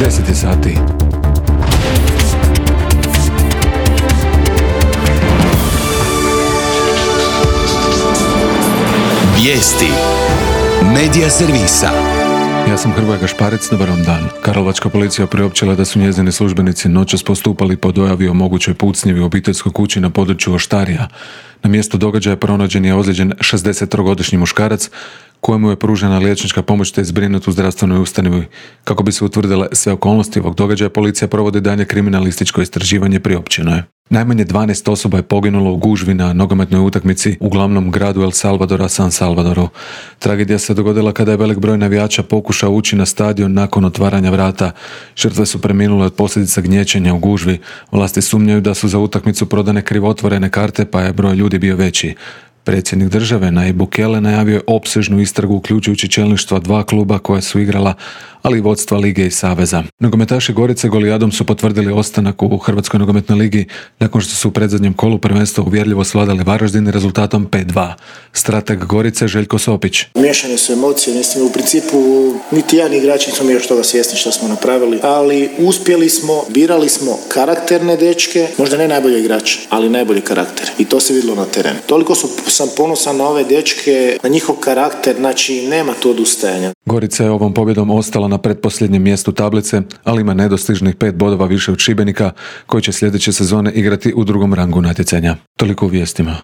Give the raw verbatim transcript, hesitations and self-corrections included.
deset je sati. Vijesti Medija servisa. Ja sam Hrvoje Gašparec, dobar vam dan. Karlovačka policija priopćila da su njezini službenici noćas postupali po dojavi o mogućoj pucnjevi u obiteljskoj kući na području Oštarija. Na mjestu događaja pronađen je ozlijeđen šezdesettrogodišnji muškarac kojemu je pružena liječnička pomoć te je zbrinut u zdravstvenoj ustanovi. Kako bi se utvrdile sve okolnosti ovog događaja, policija provodi dalje kriminalističko istraživanje, priopćeno je. Najmanje dvanaest osoba je poginulo u gužvi na nogometnoj utakmici u glavnom gradu El Salvadora, San Salvadoru. Tragedija se dogodila kada je velik broj navijača pokušao ući na stadion nakon otvaranja vrata. Žrtve su preminule od posljedica gnječenja u gužvi. Vlasti sumnjaju da su za utakmicu prodane krivotvorene karte, pa je broj ljudi bio veći. Predsjednik države Nayib Bukele najavio je opsežnu istragu uključujući čelništva dva kluba koja su igrala, ali i vodstva lige i saveza. Nogometaši Gorice golijadom su potvrdili ostanak u Hrvatskoj nogometnoj ligi nakon što su u predzadnjem kolu prvenstva uvjerljivo svladali Varaždin rezultatom pet dva. Strateg Gorice Željko Sopić. Miješane su emocije, ne smo u principu niti ja ni igrači nismo mi još toga svjesni što smo napravili, ali uspjeli smo, birali smo karakterne dečke, možda ne najbolje igrače, ali najbolji karakter i to se vidjelo na terenu. Toliko su, sam ponosan na ove dečke, na njihov karakter, znači nema tu odustajanja. Gorica je ovom pobjedom ostala na pretposljednjem mjestu tablice, ali ima nedostižnih pet bodova više od Šibenika, koji će sljedeće sezone igrati u drugom rangu natjecanja. Toliko u vijestima.